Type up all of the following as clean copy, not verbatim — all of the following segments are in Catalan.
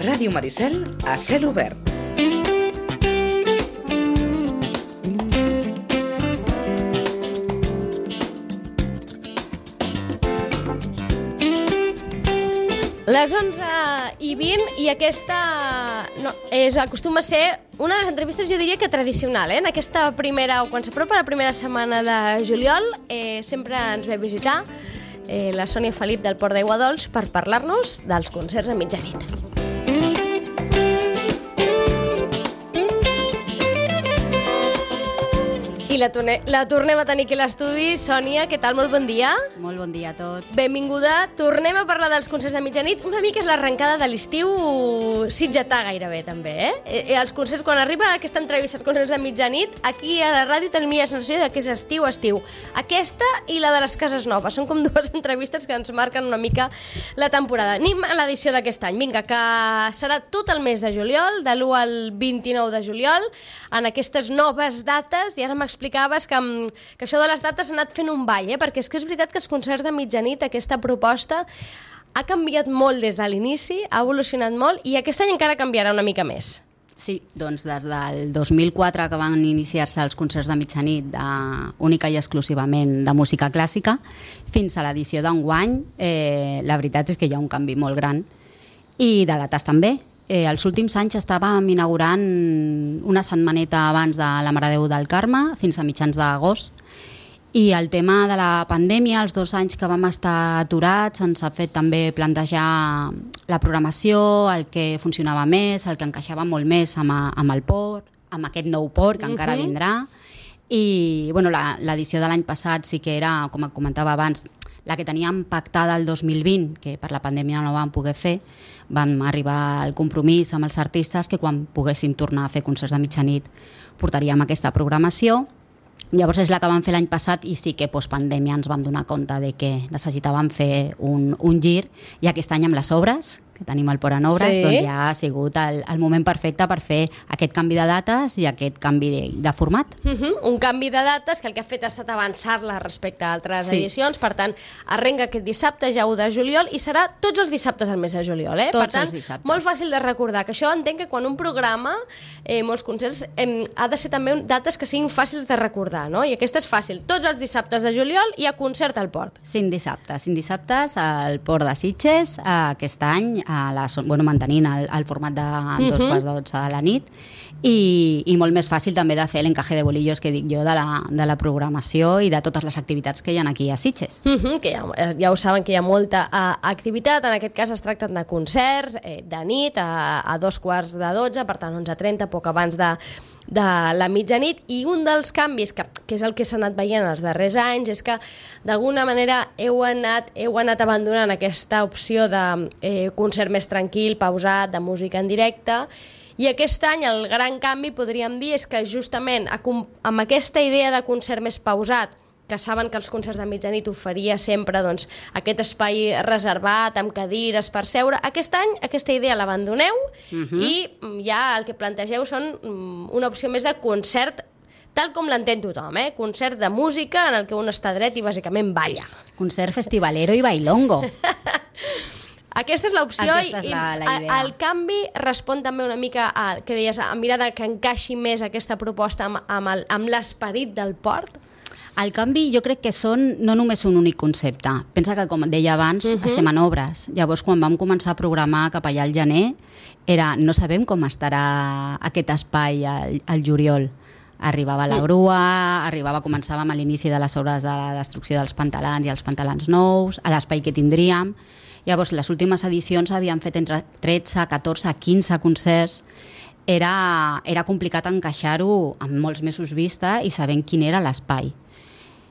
Ràdio Maricel a cel obert. Les 11:20 i aquesta acostuma a ser una de les entrevistes, jo diria que tradicional, en aquesta primera, o quan s'apropa la primera setmana de juliol, sempre ens ve a visitar la Sònia Felip del Port d'Aigua Dols per parlar-nos dels concerts a mitjanit. I la tornem a tenir aquí a l'estudi. Sònia, què tal? Molt bon dia. Molt bon dia a tots. Benvinguda. Tornem a parlar dels concerts de mitjanit. Una mica és l'arrencada de l'estiu sitgetà gairebé, també, Els concerts, quan arriba aquesta entrevista als concerts de mitjanit, aquí a la ràdio tenim la sensació que és estiu. Aquesta i la de les Cases Noves. Són com dues entrevistes que ens marquen una mica la temporada. Anem a l'edició d'aquest any. Vinga, que serà tot el mes de juliol, de l'1 al 29 de juliol, en aquestes noves dates, i ara m'explicaves que això de les dates ha anat fent un ball, perquè és que és veritat que els concerts de mitjanit, aquesta proposta, ha canviat molt des de l'inici, ha evolucionat molt, i aquest any encara canviarà una mica més. Sí, doncs des del 2004 que van iniciar-se els concerts de mitjanit única i exclusivament de música clàssica, fins a l'edició d'enguany, la veritat és que hi ha un canvi molt gran, i de dates també. Els últims anys estàvem inaugurant una setmaneta abans de la Mare de Déu del Carme, fins a mitjans d'agost, i el tema de la pandèmia, els 2 anys que vam estar aturats, ens ha fet també plantejar la programació, el que funcionava més, el que encaixava molt més amb el port, amb aquest nou port que encara vindrà. I l'edició de l'any passat sí que era, com comentava abans, la que teníem pactada el 2020, que per la pandèmia no la vam poder fer. Vam arribar al compromís amb els artistes que quan poguéssim tornar a fer concerts de mitjanit portaríem aquesta programació. Llavors és la que vam fer l'any passat, i sí que postpandèmia ens vam donar compte de que necessitàvem fer un gir, i aquest any amb les obres, que tenim el port en obres, doncs ja ha sigut el moment perfecte per fer aquest canvi de dates i aquest canvi de format. Un canvi de dates que el que ha fet ha estat avançar-la respecte a altres edicions. Per tant, arrenca aquest dissabte, ja 1 de juliol, i serà tots els dissabtes al mes de juliol. Per tant, molt fàcil de recordar, que això entenc que quan un programa molts concerts ha de ser també dates que siguin fàcils de recordar, no? I aquesta és fàcil. Tots els dissabtes de juliol hi ha concert al port. 5 dissabtes al port de Sitges, aquest any, mantenint el format de 2:12 de la nit, i molt més fàcil també de fer l'encaje de bolillos que dic jo de la programació i de totes les activitats que hi ha aquí a Sitges. Que ja ho saben que hi ha molta activitat. En aquest cas es tracten de concerts de nit a 11:45, per tant 11:30, poc abans de la mitjanit. I un dels canvis, que és el que s'ha anat veient els darrers anys, és que d'alguna manera heu anat abandonant aquesta opció de concert més tranquil, pausat, de música en directe, i aquest any el gran canvi, podríem dir, és que justament amb aquesta idea de concert més pausat, que saben que els concerts de mitjanit oferia sempre aquest espai reservat, amb cadires per seure, aquest any aquesta idea l'abandoneu i ja el que plantegeu són una opció més de concert tal com l'entén tothom, concert de música en el que un està dret i bàsicament balla. Concert festivalero i bailongo. Aquesta és l'opció. I el canvi respon també una mica a, que deies, a mirar que encaixi més aquesta proposta amb l'esperit del port. El canvi jo crec que són no només un únic concepte. Pensa que, com deia abans, estem en obres. Llavors, quan vam començar a programar cap allà al gener, no sabem com estarà aquest espai al juliol. Arribava la grua, començàvem a l'inici de les obres de la destrucció dels pantalans i els pantalans nous, a l'espai que tindríem. Llavors, les últimes edicions havien fet entre 13, 14, 15 concerts. Era complicat encaixar-ho amb molts mesos vista i sabent quin era l'espai.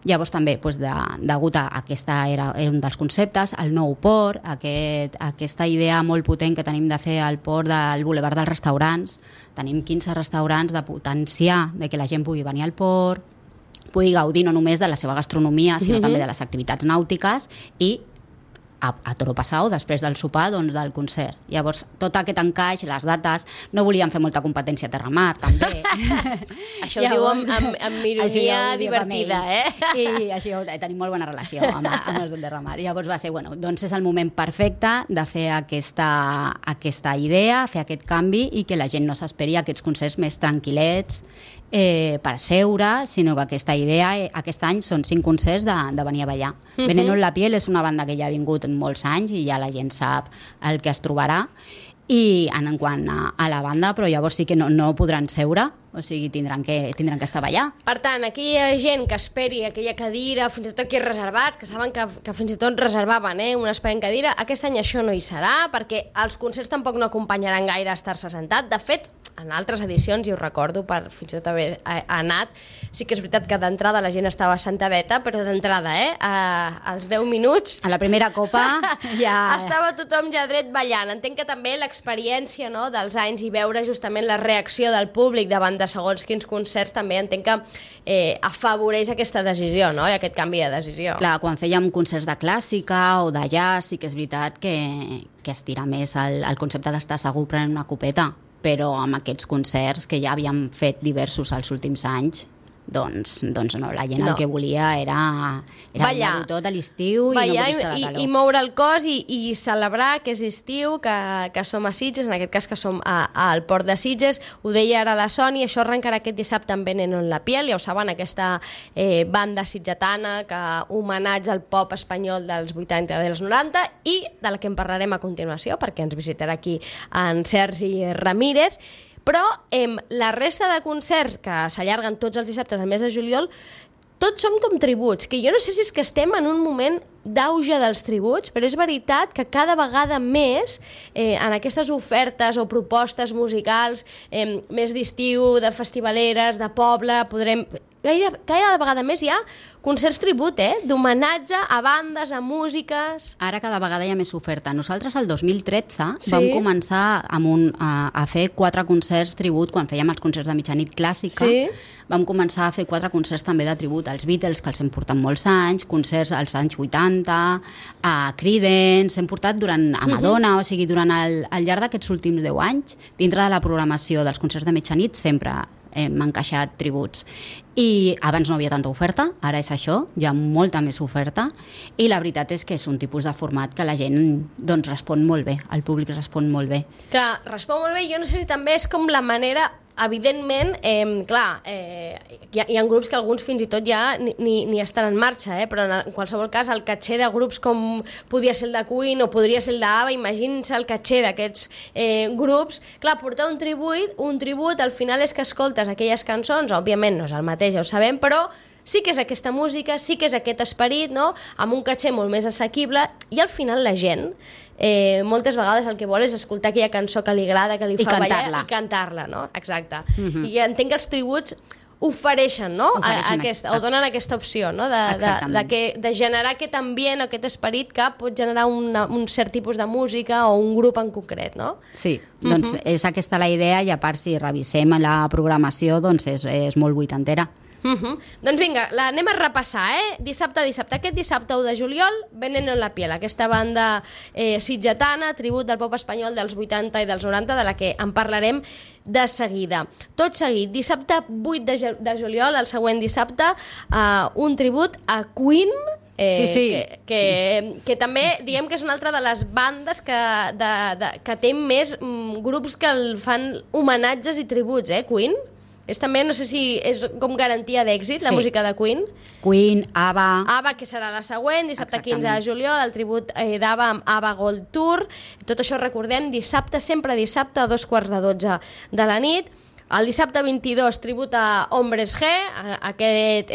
Llavors també, degut a aquesta era un dels conceptes, el nou port, aquesta idea molt potent que tenim de fer al port del Boulevard dels Restaurants. Tenim 15 restaurants, de potenciar que la gent pugui venir al port, pugui gaudir no només de la seva gastronomia, sinó també de les activitats nàutiques i a Toro Passau, després del sopar, doncs, del concert. Llavors, tot aquest encaix, les dates, no volíem fer molta competència a Terramar, també. Això ho diu amb ironia divertida, I així tenim molt bona relació amb els de Terramar. Llavors va ser, doncs és el moment perfecte de fer aquesta idea, fer aquest canvi i que la gent no s'esperi aquests concerts més tranquil·lets, per seure, sinó que aquesta idea aquest any són 5 concerts de venir a ballar. Veneno en la piel és una banda que ja ha vingut molts anys i ja la gent sap el que es trobarà i en quant a la banda, però llavors sí que no podran seure, o sigui, tindran que estar a ballar. Per tant, aquí hi ha gent que esperi aquella cadira, fins i tot aquí reservat, que saben que fins i tot reservaven un espai en cadira. Aquest any això no hi serà, perquè els concerts tampoc no acompanyaran gaire a estar-se sentat. De fet, en altres edicions, i ho recordo per fins i tot haver anat, sí que és veritat que d'entrada la gent estava sentadeta, però d'entrada, als 10 minuts... A la primera copa ja... Estava tothom ja dret ballant. Entenc que també l'experiència dels anys i veure justament la reacció del públic davant de segons quins concerts també entenc que afavoreix aquesta decisió, no? I aquest canvi de decisió. Clar, quan fèiem concerts de clàssica o de jazz, sí que és veritat que estira més el concepte d'estar segur prenent una copeta, però amb aquests concerts que ja havíem fet diversos els últims anys, doncs no, la gent el que volia era ballar tot a l'estiu i no morir-se de calor. I moure el cos i celebrar que és estiu, que som a Sitges, en aquest cas que som al Port de Sitges. Ho deia ara la Sònia, això arrencarà aquest dissabte amb Veneno en la piel, ja ho saben, aquesta banda sitgetana que homenatja al pop espanyol dels 80 i dels 90 i de la que en parlarem a continuació perquè ens visitarà aquí en Sergi Ramírez. Però la resta de concerts que s'allarguen tots els dissabtes al mes de juliol, tots són com tributs, que jo no sé si és que estem en un moment d'auge dels tributs, però és veritat que cada vegada més en aquestes ofertes o propostes musicals més d'estiu, de festivaleres, de poble, podrem... Cada vegada més hi ha concerts tribut, d'homenatge a bandes, a músiques... Ara cada vegada hi ha més oferta. Nosaltres el 2013 vam començar a fer 4 concerts tribut, quan fèiem els concerts de mitjanit clàssica, vam començar a fer 4 concerts també de tribut als Beatles, que els hem portat molts anys, concerts als anys 80, a Creedence, hem portat a Madonna, o sigui, durant el llarg d'aquests últims 10 anys, dintre de la programació dels concerts de mitjanit, sempre hem encaixat tributs. I abans no havia tanta oferta, ara és això, hi ha molta més oferta, i la veritat és que és un tipus de format que la gent doncs, respon molt bé, el públic respon molt bé. Clar, respon molt bé, jo no sé si també és com la manera... Evidentment, clar, hi ha grups que alguns fins i tot ja ni estan en marxa, però en qualsevol cas el caché de grups com podia ser el de Queen o podria ser el d'ABBA, imaginin-se el caché d'aquests grups. Clar, portar un tribut al final és que escoltes aquelles cançons, òbviament no és el mateix, ja ho sabem, però sí que és aquesta música, sí que és aquest esperit, no? Amb un caché molt més assequible, i al final la gent moltes vegades el que vol és escoltar aquella cançó que li agrada, que li fa ballar i cantar-la, no? Exacte. I entenc que els tributs ofereixen, no? O donen aquesta opció, no? De generar aquest ambient o aquest esperit que pot generar un cert tipus de música o un grup en concret, no? Sí, doncs és aquesta la idea, i a part si revisem la programació doncs és molt vuitantera. Doncs vinga, l'anem a repassar, dissabte. Aquest dissabte 1 de juliol, Veneno en la piel, aquesta banda sitgetana, tribut del pop espanyol dels 80 i dels 90, de la que en parlarem de seguida. Tot seguit, dissabte 8 de juliol, el següent dissabte, un tribut a Queen, que també diem que és una altra de les bandes que té més grups que el fan homenatges i tributs, Queen. És també, no sé si és com garantia d'èxit, la música de Queen. Queen, ABBA... ABBA, que serà la següent, dissabte 15 de juliol, el tribut d'ABBA amb ABBA Gold Tour. Tot això recordem, dissabte, sempre dissabte, a 11:45 de la nit. El dissabte 22, tribut a Hombres G, aquest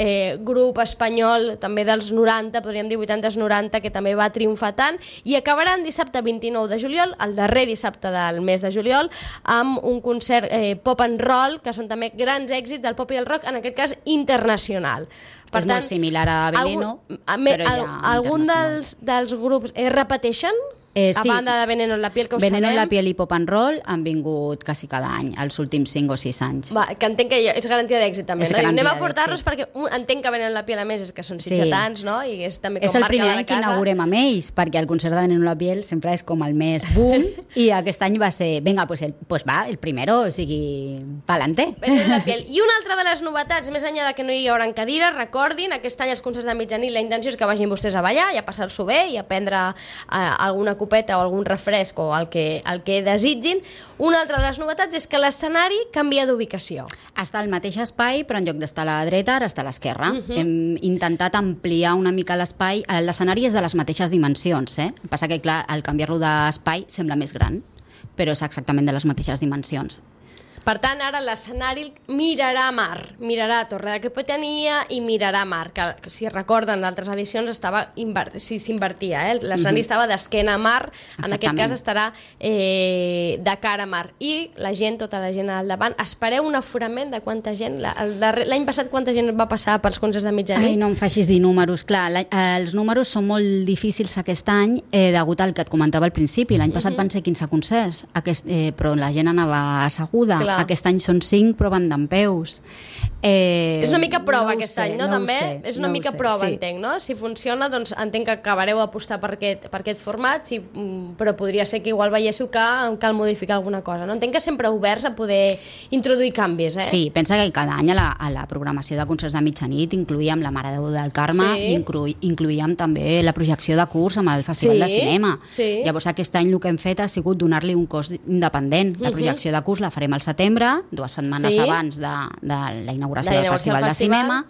grup espanyol també dels 90, podríem dir 80s-90, que també va triomfar tant, i acabaran dissabte 29 de juliol, el darrer dissabte del mes de juliol, amb un concert pop and roll, que són també grans èxits del pop i del rock, en aquest cas internacional. Per tant, molt similar a Veneno, però ja algun dels grups repeteixen? A banda de Veneno en la piel, que ho Veneno en la sabem. piel i Pop and Roll han vingut quasi cada any, els últims 5 o 6 anys. Va, que entenc que és garantia d'èxit també, És no? Diu, anem a garantia portar-los d'èxit. perquè entenc que Veneno en la piel a més és que són sitgetans, no? I és també com És el marca primer de la any que casa. inaugurem amb ells, perquè el concert de Veneno en la piel sempre és com el més boom, i aquest any va ser, vinga, pues va, el primero, o sigui, pa'lante. Veneno en la piel. I una altra de les novetats, més enllà de que no hi haurà cadires, recordin, aquest any els concerts de mitjanit, la intenció és que vagin vostès a ballar i a passar-s'ho bé i a prendre alguna copeta o algun refresc o el que desitgin. Una altra de les novetats és que l'escenari canvia d'ubicació. Està al mateix espai, però en lloc d'estar a la dreta, ara està a l'esquerra. Hem intentat ampliar una mica l'espai. L'escenari és de les mateixes dimensions, El que passa que, clar, al canviar-lo d'espai sembla més gran, però és exactament de les mateixes dimensions. Per tant, ara l'escenari mirarà a mar, mirarà a Torre de Capitania i mirarà a mar, que si recorden d'altres edicions s'invertia, l'escenari estava d'esquena a mar, en aquest cas estarà de cara a mar. I la gent, tota la gent al davant, espereu un aforament de quanta gent, l'any passat quanta gent va passar pels concerts de mitjanit? Ai, no em facis dir números, clar, els números són molt difícils aquest any degut al que et comentava al principi. L'any passat van ser 15 concerts, però la gent anava asseguda. Clar. Aquest any són 5, però van dempeus. És una mica prova aquest any, no? També? És una mica prova, entenc, no? Si funciona, doncs entenc que acabareu apostar per aquest format, però podria ser que igual veiéssiu que cal modificar alguna cosa, no? Entenc que sempre oberts a poder introduir canvis, Sí, pensa que cada any a la programació de concerts de mitjanit incluïem la Mare de Déu del Carme i incluïem també la projecció de curs amb el Festival de Cinema. Llavors aquest any el que hem fet ha sigut donar-li un cos independent. La projecció de curs la farem al setembre, 2 setmanes abans de la inauguració del Festival de Cinema,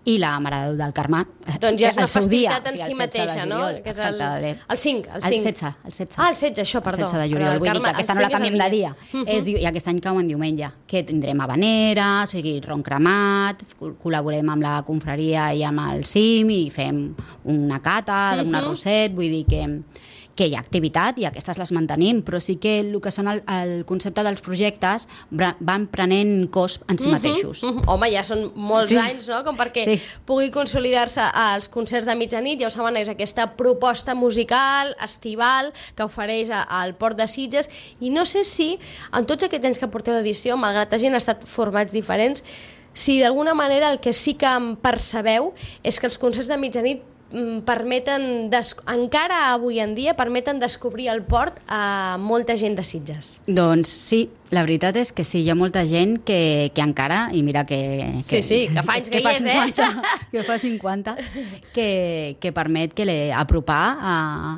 i la Mare de Déu del Carme doncs ja és una festivitat en si mateixa, no? Que és el 5. El 16. Ah, el 16, això, perdó. El 16 de juliol, vull dir que aquesta no la canviem de dia. I aquest any cau en diumenge, que tindrem habanera, o sigui, ron cremat, col·laborem amb la confraria i amb el CIM i fem una cata d'un arrosset, vull dir que hi ha activitat i aquestes les mantenim, però sí que el que són el concepte dels projectes van prenent cos en si mateixos. Home, ja són molts anys, no?, com perquè pugui consolidar-se als concerts de mitjanit. Ja ho saben, és aquesta proposta musical, estival, que ofereix al Port de Sitges, i no sé si, en tots aquests anys que porteu d'edició, malgrat que hagin estat formats diferents, si d'alguna manera el que sí que em percebeu és que els concerts de mitjanit permeten, encara avui en dia, permeten descobrir el port a molta gent de Sitges. Doncs sí, la veritat és que sí, hi ha molta gent que encara, i mira que fa anys que hi és, 50, que fa 50, que permet apropar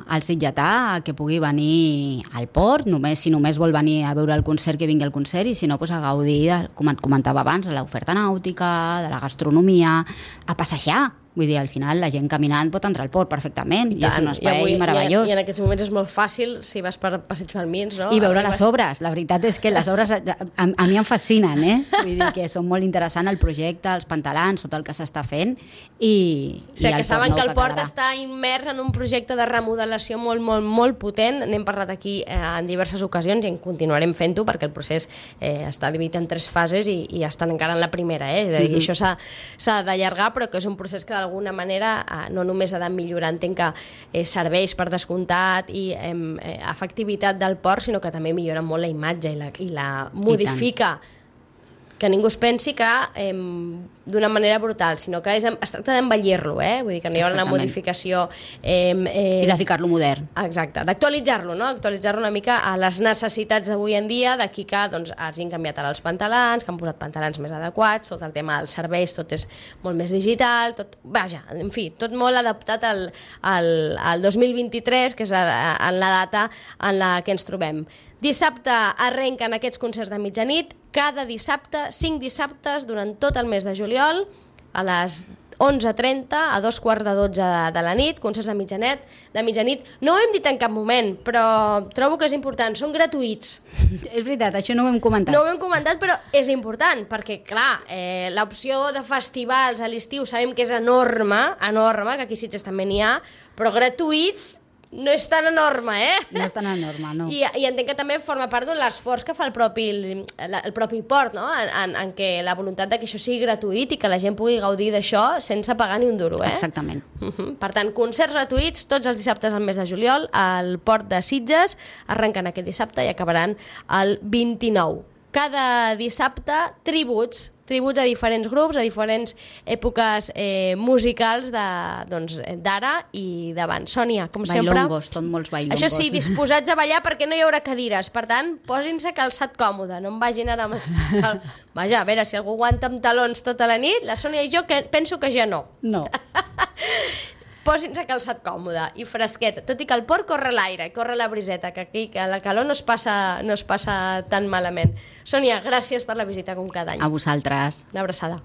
al sitgetà que pugui venir al port, si només vol venir a veure el concert, que vingui al concert, i si no, a gaudir, com et comentava abans, de l'oferta nàutica, de la gastronomia, a passejar. Vull dir, al final la gent caminant pot entrar al port perfectament, i és un espai meravellós. I en aquests moments és molt fàcil, si vas per Passeig Palmins, no? I veure les obres. La veritat és que les obres a mi em fascinen, Vull dir que són molt interessants el projecte, els pantalans, tot el que s'està fent, i o sigui, que saben que el port està immers en un projecte de remodelació molt, molt, molt potent. N'hem parlat aquí en diverses ocasions i en continuarem fent-ho, perquè el procés està dividit en 3 fases i estan encara en la primera, És a dir, això s'ha d'allargar, però que és un procés que d'alguna manera no només ha de millorar, entenc que serveis per descomptat i efectivitat del port, sinó que també millora molt la imatge i la modifica. Que ningú es pensi que d'una manera brutal, sinó que es tracta d'embellir-lo, vull dir que no hi ha una modificació... I de ficar-lo modern. Exacte, d'actualitzar-lo, no? Actualitzar-lo una mica a les necessitats d'avui en dia, d'aquí que hagin canviat ara els pantalans, que han posat pantalans més adequats, tot el tema dels serveis, tot és molt més digital, en fi, tot molt adaptat al 2023, que és en la data en la que ens trobem. Dissabte arrenquen aquests concerts de mitjanit, cada dissabte, 5 dissabtes durant tot el mes de juliol, a les 11:30, a 11:45 de la nit, concerts de mitjanit. No ho hem dit en cap moment, però trobo que és important, són gratuïts. És veritat, això no ho hem comentat. No ho hem comentat, però és important, perquè, clar, l'opció de festivals a l'estiu sabem que és enorme, que aquí a Sitges també n'hi ha, però gratuïts no és tan enorme, No és tan enorme, no. I entenc que també forma part de l'esforç que fa el propi port, no? En què la voluntat de que això sigui gratuït i que la gent pugui gaudir d'això sense pagar ni un duro, Exactament. Per tant, concerts gratuïts tots els dissabtes al mes de juliol al Port de Sitges, arrenquen aquest dissabte i acabaran el 29. Cada dissabte, tributs a diferents grups, a diferents èpoques musicals d'ara i d'abans. Sònia, com sempre... Bailongos, tot molts bailongos. Això sí, disposats a ballar perquè no hi haurà cadires. Per tant, posin-se calçat còmode, no em vagin ara amb... Vaja, a veure, si algú aguanta amb talons tota la nit, la Sònia i jo penso que ja no. No. Posin-se calçat còmode i fresquet, tot i que el port corre l'aire i corre la briseta, que aquí que la calor no es passa tan malament. Sònia, gràcies per la visita com cada any. A vosaltres. Una abraçada.